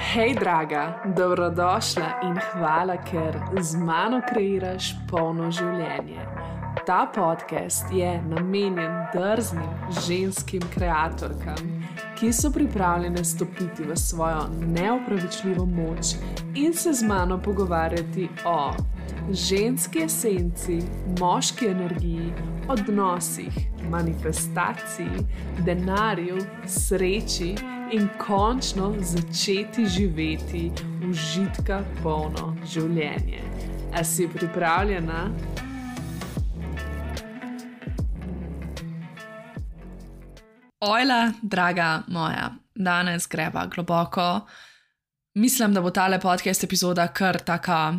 Hej, draga, dobrodošla in hvala, ker z mano kreiraš polno življenje. Ta podcast je namenjen drznim ženskim kreatorkam, ki so pripravljene stopiti v svojo neopravičljivo moč in se z mano pogovarjati o ženski esenci, moški energiji, odnosih, manifestaciji, denarju, sreči in končno začeti živeti užitka polno življenje. A si pripravljena? Ojla, draga moja, danes greva globoko. Mislim, da bo tale podcast epizoda kar taka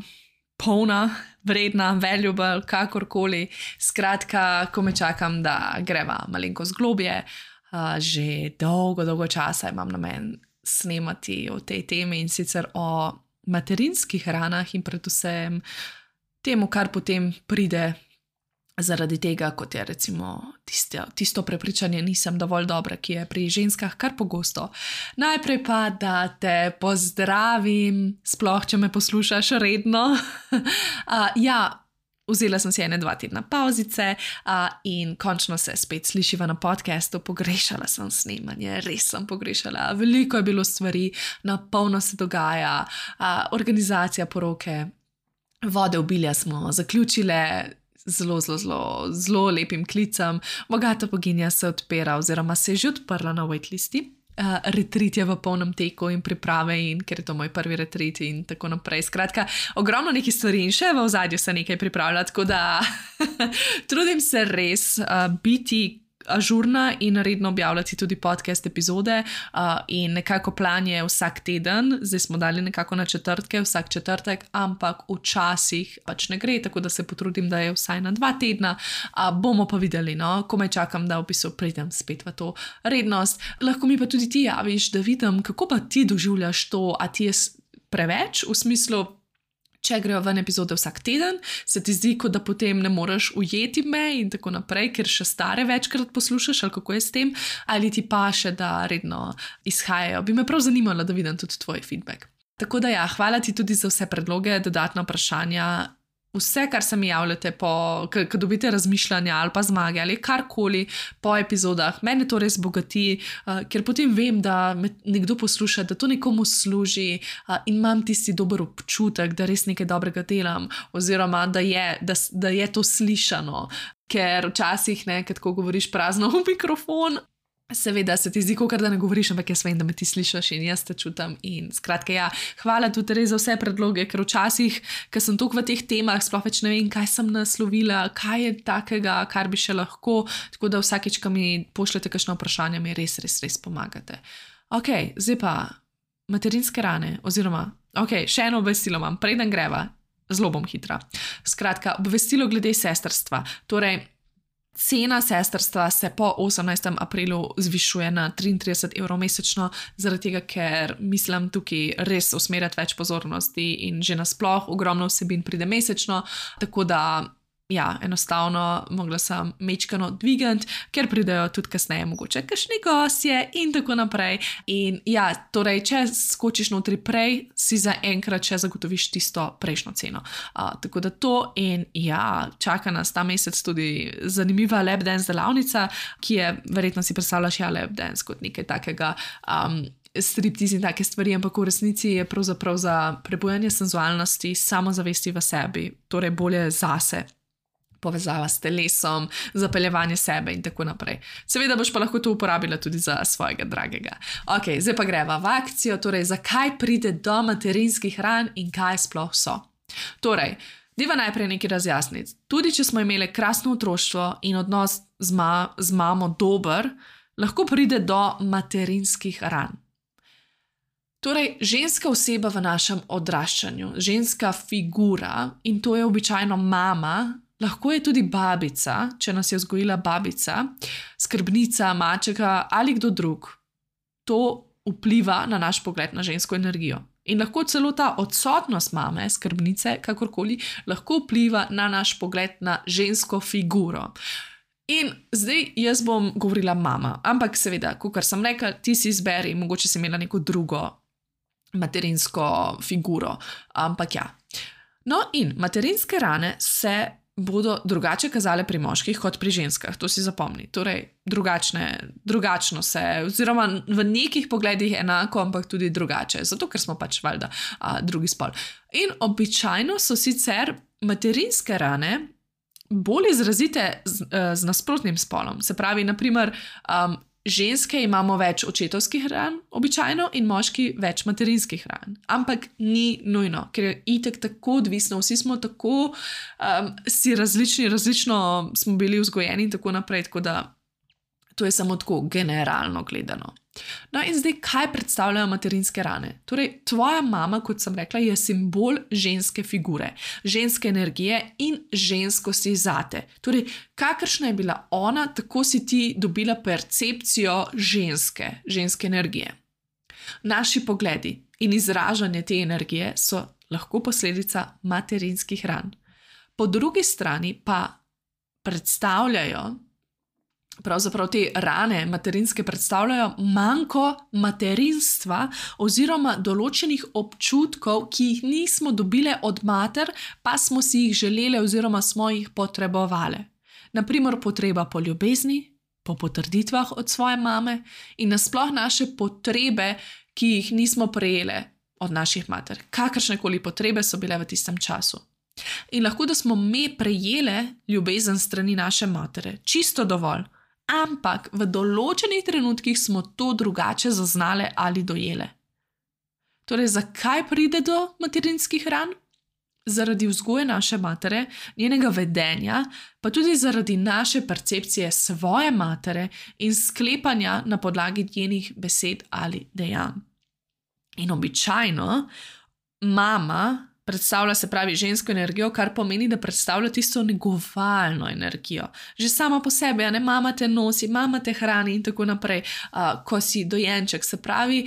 polna, vredna, valuable, kakorkoli. Skratka, ko me čakam, da greva malenkost globje, že dolgo časa imam namen snemati o tej temi in sicer o materinskih ranah in predvsem temu, kar potem pride zaradi tega, kot je recimo tisto prepričanje nisem dovolj dobra, ki je pri ženskah kar pogosto. Najprej pa, da te pozdravim, sploh če me poslušaš redno. Vzela sem si 1-2 tedna pauzice in končno se spet slišiva na podcastu. Pogrešala sem snemanje, res sem pogrešala. Veliko je bilo stvari, na polno se dogaja, organizacija poroke, vode obilja smo zaključile zelo lepim klicem. Bogata boginja se odpira oziroma se je že odprla na waitlisti. Retreat je v polnem teku in priprave, in ker je to moj prvi retreat in tako naprej. Skratka, ogromno nekih stvari in še v ozadju se nekaj pripravlja, tako da trudim se res biti ažurna in redno objavljati tudi podcast epizode in nekako plan je vsak teden, zdaj smo dali nekako na četrtke, vsak četrtek, ampak včasih pač ne gre, tako da se potrudim, da je vsaj na 2 tedna, bomo pa videli, no, komaj čakam, da v bistvu pridem spet v to rednost. Lahko mi pa tudi ti javiš, da vidim, kako pa ti doživljaš to, a ti je preveč, v smislu, če grejo ven epizode vsak teden, se ti zdi, kot da potem ne moreš ujeti me in tako naprej, ker še stare večkrat poslušaš, ali kako je s tem, ali ti pa še, da redno izhajajo. Bi me prav zanimalo, da vidim tudi tvoj feedback. Tako da hvala ti tudi za vse predloge, dodatna vprašanja, vse, kar se mi javljate, ko dobite razmišljanja ali pa zmage ali karkoli po epizodah. Mene to res bogati, ker potem vem, da me nekdo posluša, da to nekomu služi in imam tisti dober občutek, da res nekaj dobrega delam oziroma da je to slišano. Ker včasih, kad ko govoriš prazno v mikrofon, seveda se ti zdi, kakor da ne govoriš, ampak jaz vem, da me ti slišiš in jaz te čutim. In skratka, hvala tudi res za vse predloge, ker včasih, ker sem toliko v teh temah, sploh več ne vem, kaj sem naslovila, kaj je takega, kar bi še lahko, tako da vsakeč, ko mi pošljete kakšno vprašanje, mi res pomagate. Ok, zdaj pa materinske rane, oziroma, še eno obvestilo imam, preden greva, zelo bom hitra. Skratka, obvestilo glede sestrstva, torej, cena sestrstva se po 18. aprilu zvišuje na 33 € mesečno, zaradi tega, ker mislim tukaj res usmerjati več pozornosti in že nasploh ogromno vsebin pride mesečno, tako da enostavno mogla sem mečkano dvigant, ker pridejo tudi kasneje mogoče kakšni gostje in tako naprej. In torej, če skočiš notri prej, si za enkrat še zagotoviš tisto prejšnjo ceno. Tako da to in čaka nas ta mesec tudi zanimiva lap dance delavnica, ki je, verjetno si predstavljaš lap dance kot nekaj takega, striptiz in take stvari, ampak v resnici je pravzaprav za prebujanje senzualnosti, samozavesti v sebi, torej bolje zase, povezava s telesom, zapeljevanje sebe in tako naprej. Seveda boš pa lahko to uporabila tudi za svojega dragega. Ok, zdaj pa greva v akcijo, torej zakaj pride do materinskih ran in kaj sploh so. Torej, deva najprej nekaj razjasniti. Tudi če smo imeli krasno otroštvo in odnos z mamo dober, lahko pride do materinskih ran. Torej, ženska oseba v našem odraščanju, ženska figura, in to je običajno mama, lahko je tudi babica, če nas je vzgojila babica, skrbnica, mačeka ali kdo drug. To vpliva na naš pogled na žensko energijo. In lahko celo ta odsotnost mame, skrbnice, kakorkoli, lahko vpliva na naš pogled na žensko figuro. In zdaj jaz bom govorila mama, ampak seveda, kakor sem rekla, ti si izberi, mogoče si imela neko drugo materinsko figuro. Ampak ja. No, in materinske rane se bodo drugače kazale pri moških kot pri ženskah, to si zapomni. Torej, drugačno se, oziroma v nekih pogledih enako, ampak tudi drugače, zato ker smo pač valjda drugi spol. In običajno so sicer materinske rane bolj izrazite z nasprotnim spolom. Se pravi, naprimer, ženske imamo več očetovskih ran, običajno, in moški več materinskih ran. Ampak ni nujno, ker je itek tako odvisno, vsi smo tako si različno smo bili vzgojeni in tako naprej, tako da to je samo tako generalno gledano. No in zdaj, kaj predstavljajo materinske rane? Torej, tvoja mama, kot sem rekla, je simbol ženske figure, ženske energije in ženskosti zate. Torej, kakršna je bila ona, tako si ti dobila percepcijo ženske energije. Naši pogledi in izražanje te energije so lahko posledica materinskih ran. Po drugi strani pa predstavljajo, pravzaprav te rane materinske predstavljajo manko materinstva oziroma določenih občutkov, ki jih nismo dobile od mater, pa smo si jih želele oziroma smo jih potrebovale. Naprimer, potreba po ljubezni, po potrditvah od svoje mame in nasploh naše potrebe, ki jih nismo prejele od naših mater. Kakršnekoli potrebe so bile v tistem času. In lahko, da smo me prejele ljubezen strani naše matere, čisto dovolj, ampak v določenih trenutkih smo to drugače zaznale ali dojele. Torej, zakaj pride do materinskih ran? Zaradi vzgoje naše matere, njenega vedenja, pa tudi zaradi naše percepcije svoje matere in sklepanja na podlagi njenih besed ali dejanj. In običajno mama predstavlja, se pravi, žensko energijo, kar pomeni, da predstavlja tisto negovalno energijo. Že sama po sebi, ne, mama te nosi, mama te hrani in tako naprej, ko si dojenček. Se pravi,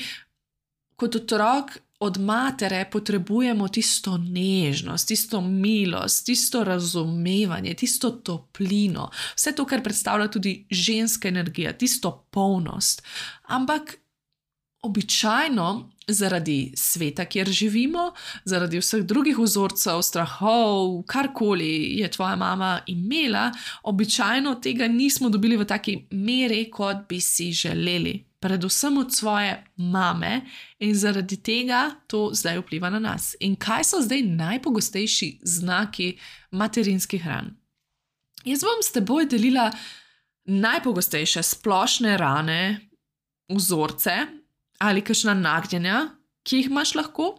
kot otrok od matere potrebujemo tisto nežnost, tisto milost, tisto razumevanje, tisto toplino. Vse to, kar predstavlja tudi ženska energija, tisto polnost. Ampak običajno zaradi sveta, kjer živimo, zaradi vseh drugih vzorcev, strahov, karkoli je tvoja mama imela, običajno tega nismo dobili v taki meri, kot bi si želeli. Predvsem od svoje mame in zaradi tega to zdaj vpliva na nas. In kaj so zdaj najpogostejši znaki materinskih ran? Jaz bom s teboj delila najpogostejše splošne rane, vzorce, ali kakšna nagnjenja, ki jih imaš lahko.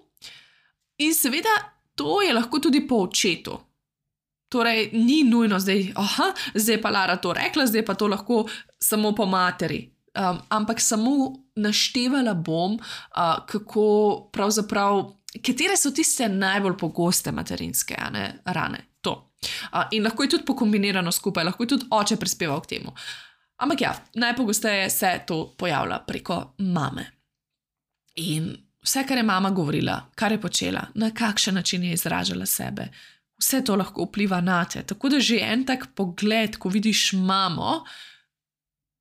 In seveda, to je lahko tudi po očetu. Torej, ni nujno zdaj, zdaj pa Lara to rekla, zdaj pa to lahko samo po materi. Ampak samo naštevala bom, kako pravzaprav, katere so tiste najbolj pogoste materinske rane. To. In lahko je tudi pokombinirano skupaj, lahko je tudi oče prispeval k temu. Ampak ja, najpogosteje se to pojavlja preko mame. In vse, kar je mama govorila, kar je počela, na kakšen način je izražala sebe, vse to lahko vpliva na te. Tako da že en tak pogled, ko vidiš mamo,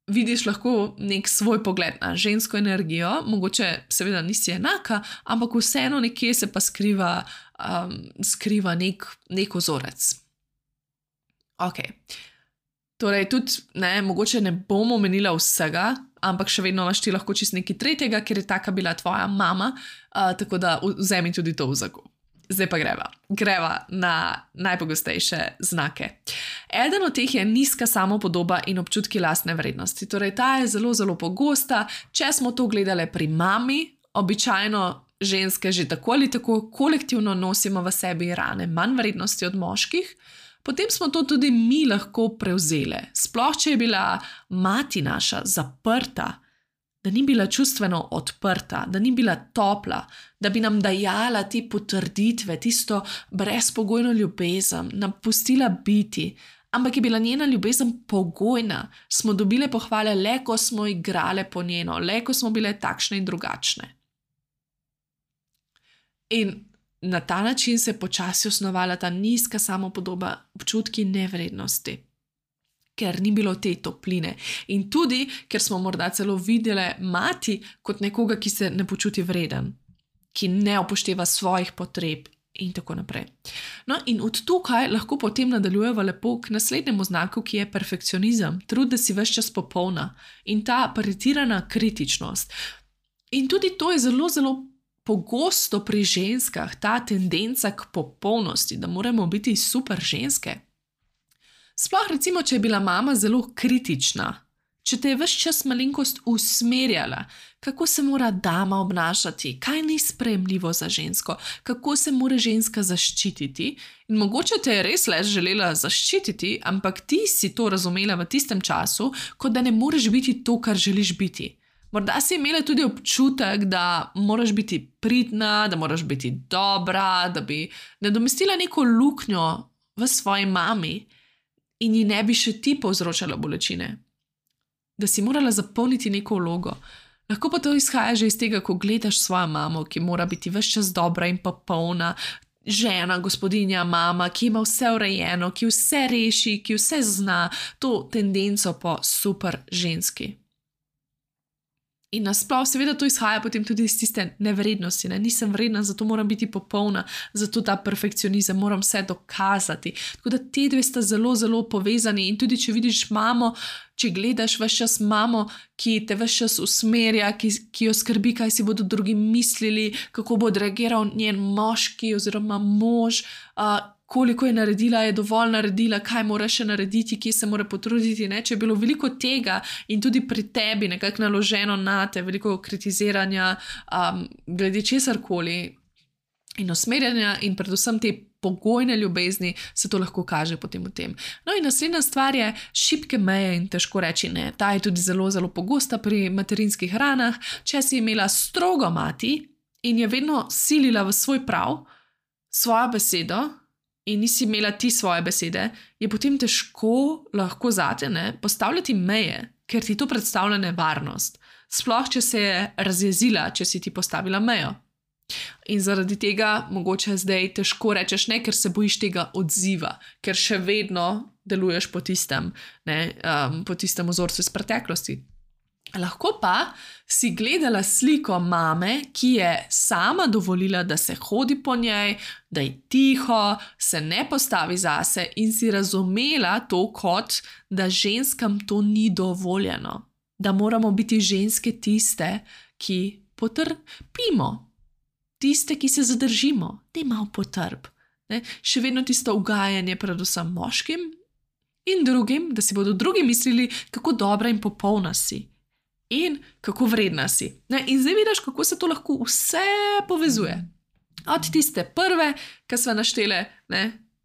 vidiš lahko nek svoj pogled na žensko energijo, mogoče seveda nisi enaka, ampak vseeno nekje se pa skriva nek vzorec. Ok. Torej, tudi, mogoče ne bom omenila vsega, ampak še vedno imaš ti lahko čist nekaj tretjega, ker je taka bila tvoja mama, tako da vzemi tudi to v zakup. Zdaj pa greva na najpogostejše znake. Eden od teh je nizka samopodoba in občutki lastne vrednosti. Torej, ta je zelo, zelo pogosta. Če smo to gledali pri mami, običajno ženske že tako ali tako kolektivno nosimo v sebi rane manj vrednosti od moških, potem smo to tudi mi lahko prevzele. Sploh, če je bila mati naša zaprta, da ni bila čustveno odprta, da ni bila topla, da bi nam dajala te potrditve, tisto brezpogojno ljubezen, nam pustila biti, ampak je bila njena ljubezen pogojna, smo dobile pohvale le, ko smo igrale po njeno, le, ko smo bile takšne in drugačne. In na ta način se je počasi osnovala ta nizka samopodoba, občutki nevrednosti, ker ni bilo te topline. In tudi, ker smo morda celo videle mati kot nekoga, ki se ne počuti vreden. ki ne upošteva svojih potreb in tako naprej. No, in od tukaj lahko potem nadaljujemo lepo k naslednjemu znaku, ki je perfekcionizem, trud, da si ves čas popolna in ta pretirana kritičnost. In tudi to je zelo, zelo pogosto pri ženskah, ta tendenca k popolnosti, da moramo biti super ženske. Sploh recimo, če je bila mama zelo kritična, če te je ves čas malenkost usmerjala, kako se mora dama obnašati, kaj ni sprejemljivo za žensko, kako se mora ženska zaščititi. In mogoče te je res le želela zaščititi, ampak ti si to razumela v tistem času, kot da ne moreš biti to, kar želiš biti. Morda si imela tudi občutek, da moraš biti pridna, da moraš biti dobra, da bi nadomestila neko luknjo v svoji mami in ji ne bi še ti povzročala bolečine. Da si morala zapolniti neko vlogo. Lahko pa to izhaja že iz tega, ko gledaš svojo mamo, ki mora biti ves čas dobra in popolna, žena, gospodinja, mama, ki ima vse urejeno, ki vse reši, ki vse zna, to tendenco po super ženski. In nasploh seveda to izhaja potem tudi iz tiste nevrednosti, ne? Nisem vredna, zato moram biti popolna, zato ta perfekcionizem, moram vse dokazati. Tako da te dve sta zelo, zelo povezani in tudi če vidiš mamo, če gledaš ves čas mamo, ki te ves čas usmerja, ki jo skrbi, kaj si bodo drugi mislili, kako bo odreagiral njen moški oziroma mož, koliko je naredila, je dovolj naredila, kaj mora še narediti, kje se mora potruditi. Ne? Če je bilo veliko tega in tudi pri tebi nekako naloženo na te, veliko kritiziranja glede česarkoli in usmerjanja in predvsem te pogojne ljubezni, se to lahko kaže potem v tem. No in naslednja stvar je šibke meje in težko reči ne. Ta je tudi zelo, zelo pogosta pri materinskih ranah. Če si imela strogo mati in je vedno silila v svoj prav, svojo besedo, in nisi imela ti svoje besede, je potem težko lahko zate postavljati meje, ker ti to predstavlja nevarnost. Sploh, če se je razjezila, če si ti postavila mejo. In zaradi tega mogoče zdaj težko rečeš ne, ker se bojiš tega odziva, ker še vedno deluješ po tistem vzorcu iz preteklosti. Lahko pa si gledala sliko mame, ki je sama dovolila, da se hodi po njej, da je tiho, se ne postavi zase in si razumela to kot, da ženskam to ni dovoljeno. Da moramo biti ženske tiste, ki potrpimo, tiste, ki se zadržimo, da imamo potrp. Še vedno tisto ugajanje predvsem moškim in drugim, da si bodo drugi mislili, kako dobra in popolna si. In kako vredna si. In zdaj vidiš, kako se to lahko vse povezuje. Od tiste prve, ki sva naštele,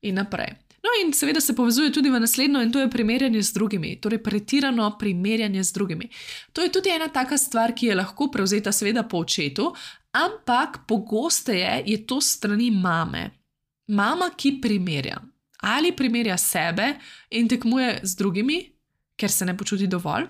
in naprej. No in seveda se povezuje tudi v naslednjo in to je primerjanje z drugimi. Torej pretirano primerjanje z drugimi. To je tudi ena taka stvar, ki je lahko prevzeta seveda po očetu, ampak pogosteje je to strani mame. Mama, ki primerja. Ali primerja sebe in tekmuje z drugimi, ker se ne počuti dovolj.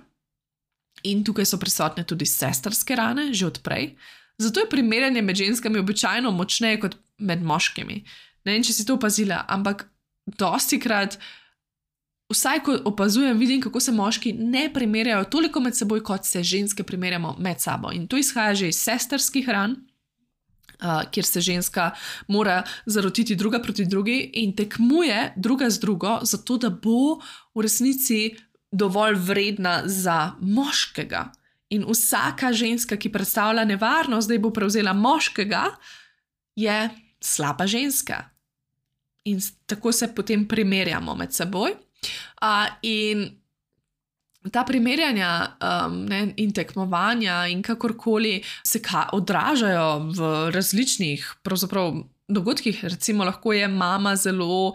In tukaj so prisotne tudi sestrske rane, že odprej. Zato je primerjanje med ženskami običajno močneje kot med moškimi. Ne vem, če si to opazila, ampak dostikrat, vsaj ko opazujem, vidim, kako se moški ne primerjajo toliko med seboj, kot se ženske primerjamo med sabo. In to izhaja že iz sestrskih ran, kjer se ženska mora zarotiti druga proti drugi in tekmuje druga z drugo, zato da bo v resnici dovolj vredna za moškega. In vsaka ženska, ki predstavlja nevarnost, da bo prevzela moškega, je slaba ženska. In tako se potem primerjamo med seboj. In ta primerjanja in tekmovanja in kakorkoli se odražajo v različnih pravzaprav dogodkih. Recimo lahko je mama zelo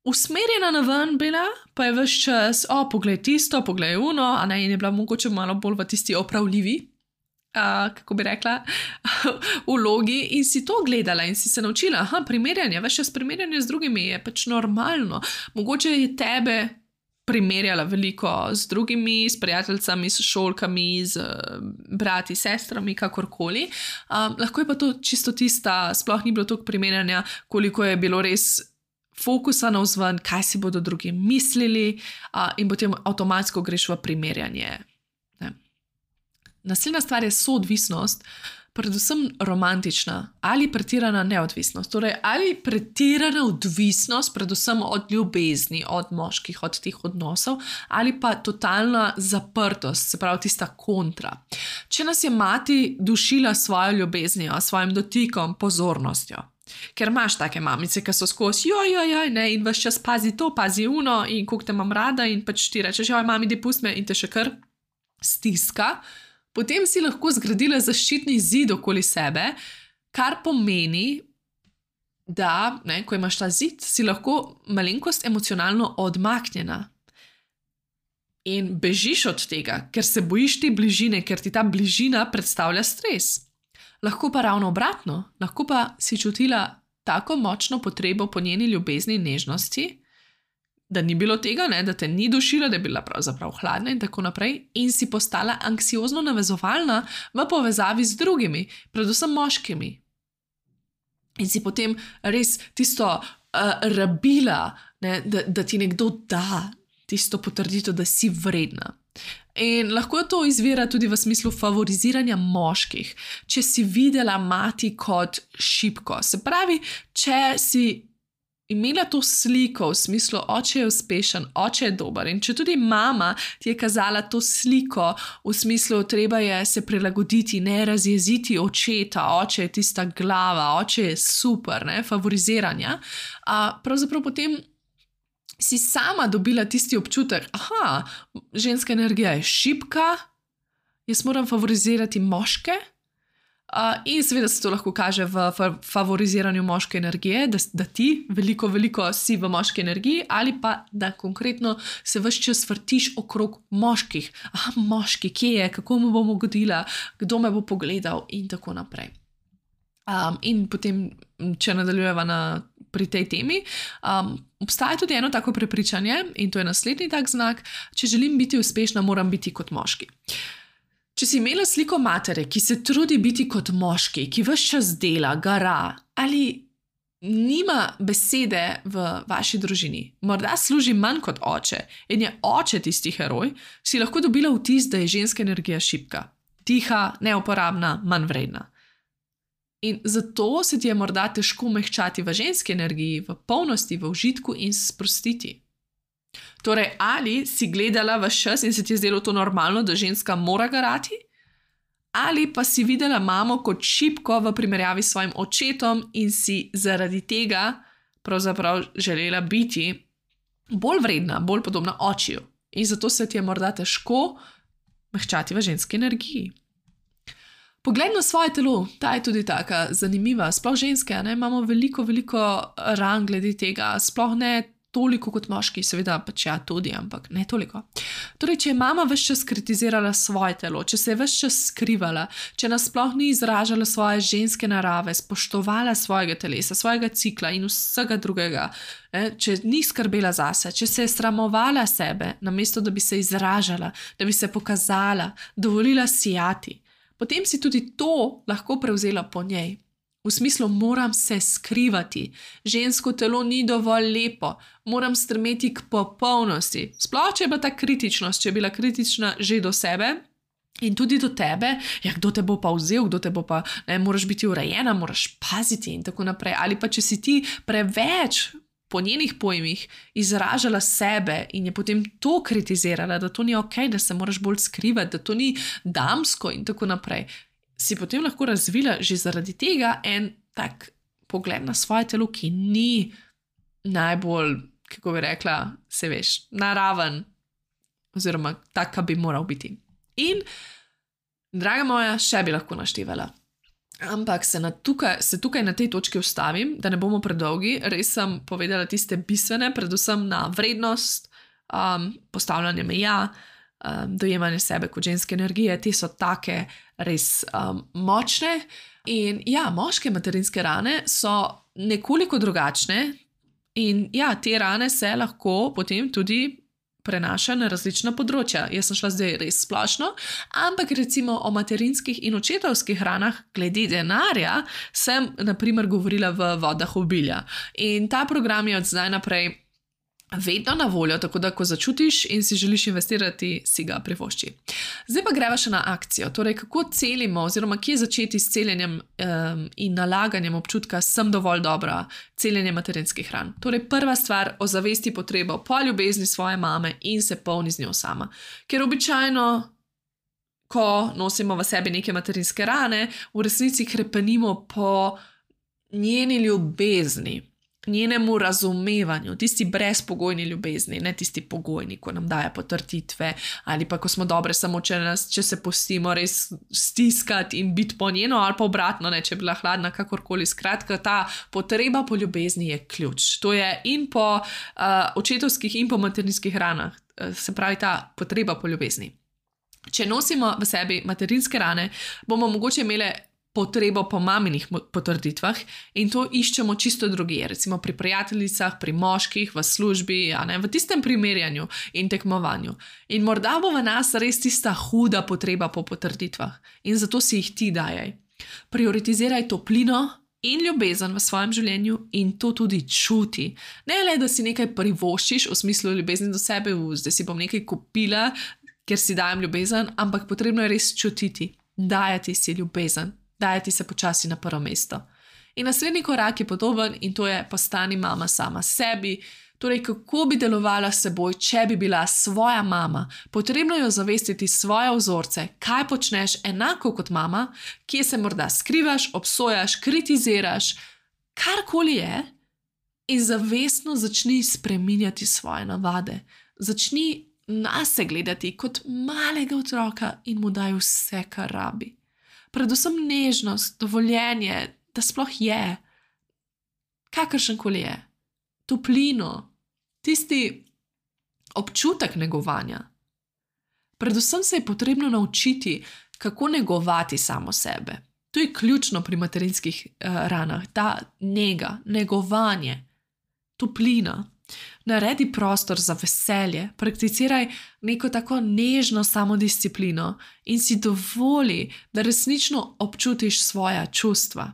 usmerjena na ven bila, pa je ves čas, poglej tisto, poglej uno, in je bila mogoče malo bolj v tisti opravljivi, kako bi rekla, vlogi in si to gledala in si se naučila, primerjanje, ves čas primerjanje z drugimi je pač normalno. Mogoče je tebe primerjala veliko z drugimi, s prijateljicami, s šolkami, z brati, sestrami, kakorkoli. Lahko je pa to čisto tista, sploh ni bilo toliko primerjanja, koliko je bilo res fokusa na vzven, kaj si bodo drugi mislili in potem avtomatsko greš v primerjanje. Naslednja stvar je soodvisnost. predvsem romantična ali pretirana neodvisnost. Torej, ali pretirana odvisnost, predvsem od ljubezni, od moških, od teh odnosov, ali pa totalna zaprtost, se pravi tista kontra. Če nas je mati dušila svojo ljubeznijo, svojim dotikom, pozornostjo, ker imaš take mamice, ki so skozi ne, in ves čas pazi to, pazi uno in koliko te imam rada in pač ti rečeš, mami, daj pusti me in te še kar stiska, potem si lahko zgradila zaščitni zid okoli sebe, kar pomeni, da, ne, ko imaš ta zid, si lahko malenkost emocionalno odmaknjena in bežiš od tega, ker se bojiš te bližine, ker ti ta bližina predstavlja stres. Lahko pa ravno obratno, lahko pa si čutila tako močno potrebo po njeni ljubezni in nežnosti, da ni bilo tega, ne, da te ni dušila, da je bila pravzaprav hladna in tako naprej, in si postala anksiozno navezovalna v povezavi z drugimi, predvsem moškimi. In si potem res tisto rabila, ne, da ti nekdo da tisto potrditev, da si vredna. In lahko to izvira tudi v smislu favoriziranja moških, če si videla mati kot šibko. Se pravi, če si imela to sliko v smislu, oče je uspešen, oče je dober, in če tudi mama ti je kazala to sliko v smislu, treba je se prilagoditi, ne razjeziti očeta, oče je tista glava, oče je super, ne, favoriziranja, pravzaprav potem si sama dobila tisti občutek, ženska energija je šibka, jaz moram favorizirati moške, in seveda se to lahko kaže v favoriziranju moške energije, da ti veliko si v moški energiji, ali pa da konkretno se ves čas vrtiš okrog moških. Moški, kje je, kako mu bom ugodila, kdo me bo pogledal in tako naprej. In potem, če nadaljujeva pri tej temi, obstaja tudi eno tako prepričanje, in to je naslednji tak znak, če želim biti uspešna, moram biti kot moški. Če si imela sliko matere, ki se trudi biti kot moški, ki ves čas dela, gara, ali nima besede v vaši družini, morda služi manj kot oče in je oče tisti heroj, si lahko dobila vtis, da je ženska energija šibka, tiha, neuporabna, manj vredna. In zato se ti je morda težko mehčati v ženski energiji, v polnosti, v užitku in sprostiti. Torej, ali si gledala ves čas in se ti je zdelo to normalno, da ženska mora garati, ali pa si videla mamo kot šibko v primerjavi s svojim očetom in si zaradi tega pravzaprav želela biti bolj vredna, bolj podobna očiju. In zato se ti je morda težko mehčati v ženski energiji. Pogled na svoje telo, ta je tudi taka zanimiva, sploh ženske, ne, imamo veliko ran glede tega, sploh ne toliko kot moški, seveda pač tudi, ampak ne toliko. Torej, če je mama ves čas kritizirala svoje telo, če se je ves čas skrivala, če nas sploh ni izražala svoje ženske narave, spoštovala svojega telesa, svojega cikla in vsega drugega, če ni skrbela zase, če se je sramovala sebe, namesto da bi se izražala, da bi se pokazala, dovolila sijati, potem si tudi to lahko prevzela po njej. V smislu, moram se skrivati, žensko telo ni dovolj lepo, moram stremeti k popolnosti. Sploh, če je bila ta kritičnost, če je bila kritična že do sebe in tudi do tebe, kdo te bo pa vzel, kdo te bo pa, ne, moraš biti urejena, moraš paziti in tako naprej. Ali pa če si ti preveč po njenih pojmih izražala sebe in je potem to kritizirala, da to ni okej, da se moraš bolj skrivati, da to ni damsko in tako naprej, si potem lahko razvila že zaradi tega en tak pogled na svoje telo, ki ni najbolj, kako bi rekla, se veš, naraven oziroma tak, bi moral biti. In, draga moja, še bi lahko naštevala. Ampak se tukaj na tej točki ustavim, da ne bomo predolgi, res sem povedala tiste bistvene, predvsem na vrednost, postavljanje meja, dojemanje sebe kot ženske energije, te so take res močne. In ja, moške materinske rane so nekoliko drugačne in ja, te rane se lahko potem tudi prenaša na različna področja. Jaz sem šla zdaj res splošno, ampak recimo o materinskih in očetovskih ranah glede denarja sem na primer govorila v Vodah obilja. In ta program je od zdaj naprej vedno na voljo, tako da ko začutiš in si želiš investirati, si ga privošči. Zdaj pa greva še na akcijo, torej kako celimo oziroma kje začeti s celjenjem in nalaganjem občutka sem dovolj dobra, celjenje materinskih ran. Torej prva stvar, ozavesti potrebo po ljubezni svoje mame in se polni z njo sama. Ker običajno, ko nosimo v sebi neke materinske rane, v resnici krepenimo po njeni ljubezni, njenemu razumevanju, tisti brezpogojni ljubezni, ne tisti pogojni, ko nam daje potrditve, ali pa ko smo dobre samo, če se pustimo res stiskati in biti po njeno, ali pa obratno, ne, če je bila hladna, kakorkoli. Skratka, ta potreba po ljubezni je ključ. To je in po očetovskih in po materinskih ranah, se pravi ta potreba po ljubezni. Če nosimo v sebi materinske rane, bomo mogoče imeli potrebo po maminih potrditvah in to iščemo čisto drugje, recimo pri prijateljicah, pri moških, v službi, v tistem primerjanju in tekmovanju. In morda bo v nas res tista huda potreba po potrditvah in zato si jih ti dajaj. Prioritiziraj toplino in ljubezen v svojem življenju in to tudi čuti. Ne le, da si nekaj privoščiš v smislu ljubezni do sebe, zdaj si bom nekaj kupila, ker si dajem ljubezen, ampak potrebno je res čutiti, dajati si ljubezen. Dajati se počasi na prvo mesto. In naslednji korak je podoben in to je postani mama sama sebi, torej kako bi delovala s seboj, če bi bila svoja mama. Potrebno je ozavestiti svoje vzorce, kaj počneš enako kot mama, kje se morda skrivaš, obsojaš, kritiziraš, karkoli je in zavestno začni spreminjati svoje navade. Začni nase gledati kot malega otroka in mu daj vse, kar rabi. Predvsem nežnost, dovoljenje, da sploh je, kakršenkoli je, toplino, tisti občutek negovanja. Predvsem se je potrebno naučiti, kako negovati samo sebe. To je ključno pri materinskih ranah, ta nega, negovanje, toplina. Naredi prostor za veselje, prakticiraj neko tako nežno samodisciplino in si dovoli, da resnično občutiš svoja čustva.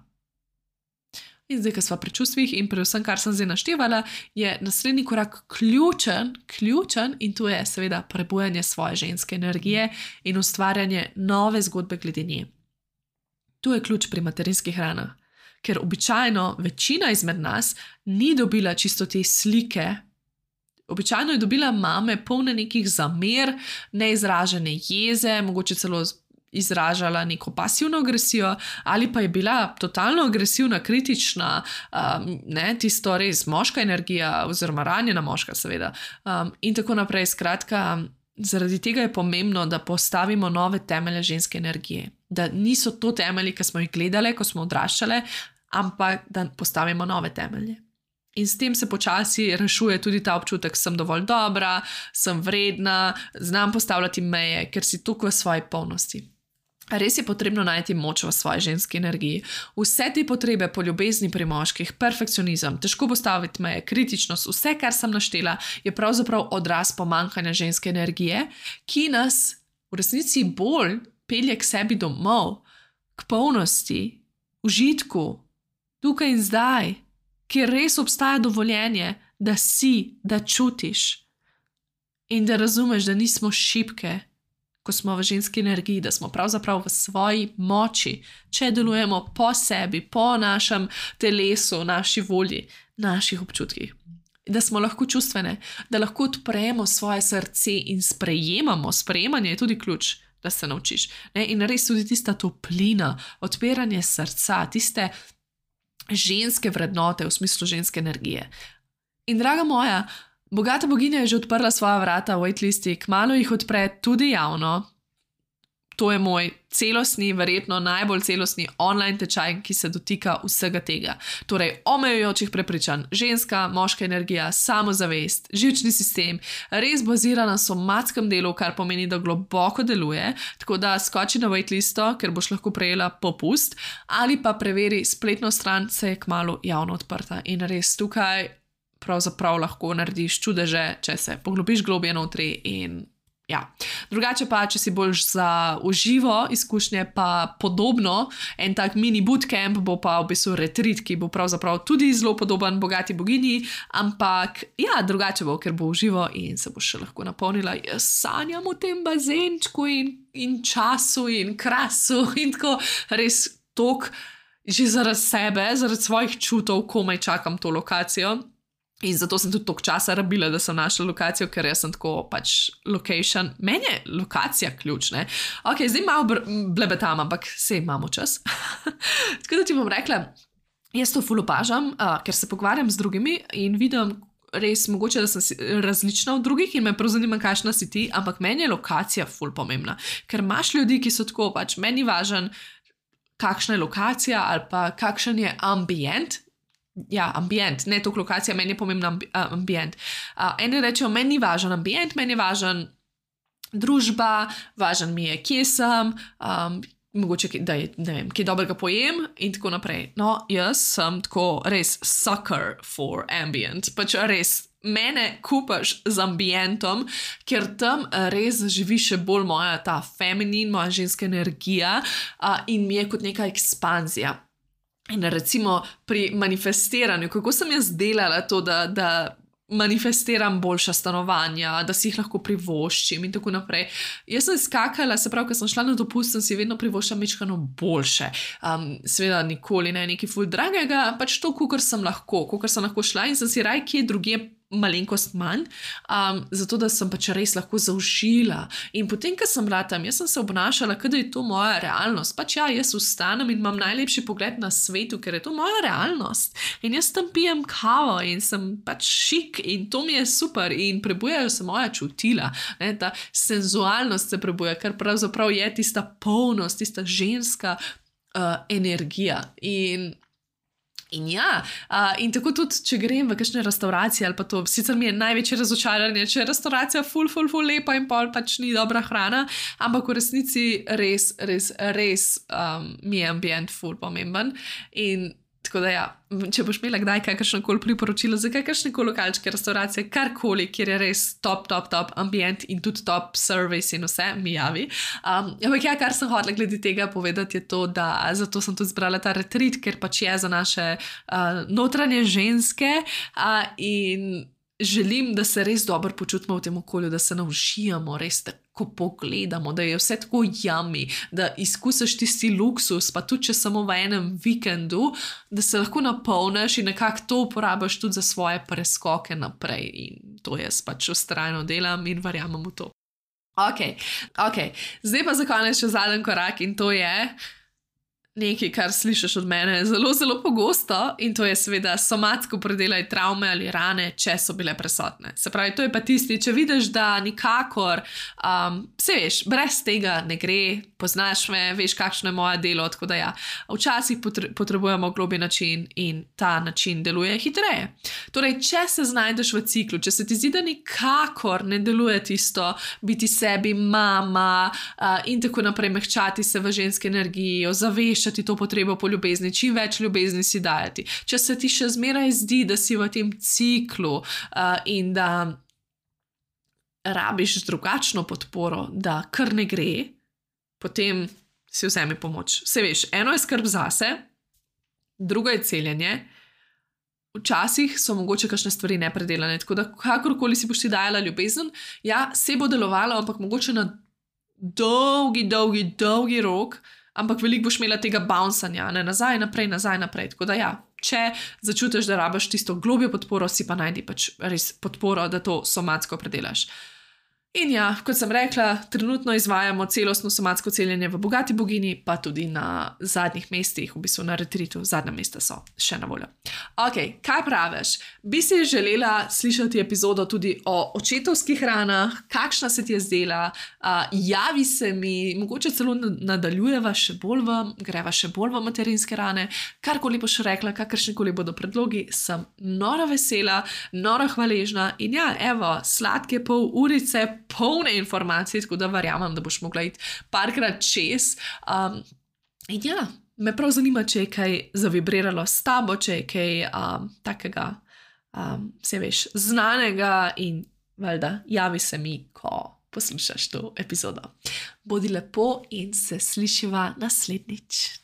In zdaj, ko sva pri čustvih in pri vsem, kar sem zdaj naštevala, je naslednji korak ključen in to je seveda prebujanje svoje ženske energije in ustvarjanje nove zgodbe glede nje. To je ključ pri materinskih ranah. Ker običajno večina izmed nas ni dobila čisto te slike. Običajno je dobila mame polne nekih zamer, neizražene jeze, mogoče celo izražala neko pasivno agresijo ali pa je bila totalno agresivna, kritična, tisto res moška energija oziroma ranjena moška seveda in tako naprej. Skratka, zaradi tega je pomembno, da postavimo nove temelje ženske energije. Da niso to temelji, ki smo jih gledali, ko smo odraščale, ampak da postavimo nove temelje. In s tem se počasi rešuje tudi ta občutek, sem dovolj dobra, sem vredna, znam postavljati meje, ker si tukaj v svoji polnosti. Res je potrebno najti moč v svoji ženski energiji. Vse te potrebe po ljubezni pri moških, perfekcionizem, težko postaviti meje, kritičnost, vse, kar sem naštela, je pravzaprav odraz pomanjkanja ženske energije, ki nas v resnici bolj pelje k sebi domov, k polnosti, užitku, tukaj in zdaj, kjer res obstaja dovoljenje, da si, da čutiš in da razumeš, da nismo šibke, ko smo v ženski energiji, da smo pravzaprav v svoji moči, če delujemo po sebi, po našem telesu, naši volji, naših občutkih. Da smo lahko čustvene, da lahko odpremo svoje srce in sprejemamo. Sprejemanje je tudi ključ, da se naučiš. In res tudi tista toplina, odpiranje srca, tiste ženske vrednote v smislu ženske energije. In draga moja, bogata boginja je že odprla svoja vrata v waitlisti, kmalu jih odpre tudi javno. To je moj celostni, verjetno najbolj celostni online tečaj, ki se dotika vsega tega. Torej, omejujočih prepričanj, ženska, moška energija, samozavest, živčni sistem, res bazira na somatskem delu, kar pomeni, da globoko deluje, tako da skoči na waitlisto, ker boš lahko prejela popust, ali pa preveri spletno stran, se je kmalu javno odprta. In res tukaj pravzaprav lahko narediš čudeže, če se poglobiš globje notri in Ja, drugače pa, če si bolj za uživo izkušnje, pa podobno, en tak mini bootcamp bo pa v bistvu retreat, ki bo pravzaprav tudi zelo podoben Bogati bogini, ampak ja, drugače bo, ker bo uživo in se bo še lahko napolnila. Jaz sanjam v tem bazenčku in času in krasu in tako res tok, že zaradi sebe, zaradi svojih čutov, komaj čakam to lokacijo. In zato sem tudi toliko časa rabila, da sem našla lokacijo, ker jaz sem tako pač location. Meni je lokacija ključna. Ok, zdaj malo blebetam, ampak sej imamo čas. Tako da ti bom rekla, jaz to ful opažam, ker se pogovarjam z drugimi in vidim res mogoče, da sem različna od drugih in me prav zanima, kakšna si ti, ampak meni je lokacija ful pomembna. Ker imaš ljudi, ki so tako pač, meni važen, kakšna je lokacija ali pa kakšen je ambient. Ja, ambient, ne toliko lokacija, meni je pomembna ambient. Eni rečejo, meni ni važen ambient, meni je važen družba, važen mi je, kje sem, mogoče, da je, ne vem, kje dobrega pojem in tako naprej. No, jaz sem tako res sucker for ambient, pač res mene kupaš z ambientom, ker tam res živi še bolj moja ta feminin, moja ženska energija in mi je kot neka ekspanzija. In recimo pri manifestiranju, kako sem jaz delala to, da manifestiram boljša stanovanja, da si jih lahko privoščim in tako naprej. Jaz sem skakala, se pravi, ko sem šla na dopust, sem si vedno privoščila mečkano boljše. Seveda nikoli ne nekaj ful dragega, pač to, kakor sem lahko šla in sem si raj kje drugje malenkost manj, zato da sem pač res lahko zaužila. In potem, ko sem bila tam, jaz sem se obnašala, da je to moja realnost. Pač ja, jaz vstanem in imam najlepši pogled na svetu, ker je to moja realnost. In jaz tam pijem kavo in sem pač šik in to mi je super in prebujajo se moja čutila. Ne? Ta senzualnost se prebuja, kar pravzaprav je tista polnost, tista ženska energija. In ja, in tako tudi, če grem v kakšne restauracije ali pa to, sicer mi je največje razočaranje, če je restauracija ful lepa in pol pač ni dobra hrana, ampak v resnici res mi je ambient ful pomemben in tako da ja, če boš imela kdaj kakršnokoli priporočilo za kakršnekoli lokalčke restauracije, karkoli, kjer je res top ambient in tudi top service in vse, mi javi. Ampak ja, kar sem hotela glede tega povedati je to, da zato sem tudi zbrala ta retreat, ker pač je za naše notranje ženske in želim, da se res dobro počutimo v tem okolju, da se navžijamo, res tako pogledamo, da je vse tako yummy, da izkusiš tisti luksus, pa tudi če samo v enem vikendu, da se lahko napolniš in nekako to uporabiš tudi za svoje preskoke naprej. In to jaz pač vztrajno delam in verjamem v to. Ok, zdaj pa za konec še zadnji korak in to je nekaj, kar slišiš od mene zelo pogosto in to je seveda somatsko predelaj travme ali rane, če so bile prisotne. Se pravi, to je pa tisti, če vidiš, da nikakor, se veš, brez tega ne gre, poznaš me, veš, kakšno je moje delo, tako da ja, včasih potrebujemo globji način in ta način deluje hitreje. Torej, če se znajdeš v ciklu, če se ti zdi, da nikakor ne deluje tisto, biti sebi mama in tako naprej, mehčati se v ženski energiji, ozaveščati to potrebo po ljubezni, čim več ljubezni si dajati. Če se ti še zmeraj zdi, da si v tem ciklu in da rabiš drugačno podporo, da kar ne gre, potem si vzemi pomoč. Se veš, eno je skrb zase, drugo je celjenje, včasih so mogoče kakšne stvari nepredelane, tako da kakorkoli si boš ti dajala ljubezen, ja, se bo delovalo, ampak mogoče na dolgi rok, ampak veliko boš imela tega bouncanja, ne, nazaj, naprej. Tako da ja, če začutiš, da rabiš tisto globjo podporo, si pa najdi pač res podporo, da to somatsko predelaš. In ja, kot sem rekla, trenutno izvajamo celostno somatsko celjenje v Bogati bogini, pa tudi na zadnjih mestih, v bistvu na retreatu, zadnja mesta so še na voljo. Ok, kaj praviš? Bi si želela slišati epizodo tudi o očetovskih ranah, kakšna se ti je zdela, javi se mi, mogoče celo nadaljujeva še bolj greva še bolj v materinske rane, karkoli boš rekla, kakršnikoli bodo predlogi, sem nora vesela, nora hvaležna in ja, evo, sladke pol urice, polne informacije, tako da verjamem, da boš mogla iti parkrat čez. In ja, me prav zanima, če je kaj zavibriralo s tabo, če je kaj takega, se veš, znanega in valjda, javi se mi, ko poslušaš to epizodo. Bodi lepo in se slišiva naslednjič.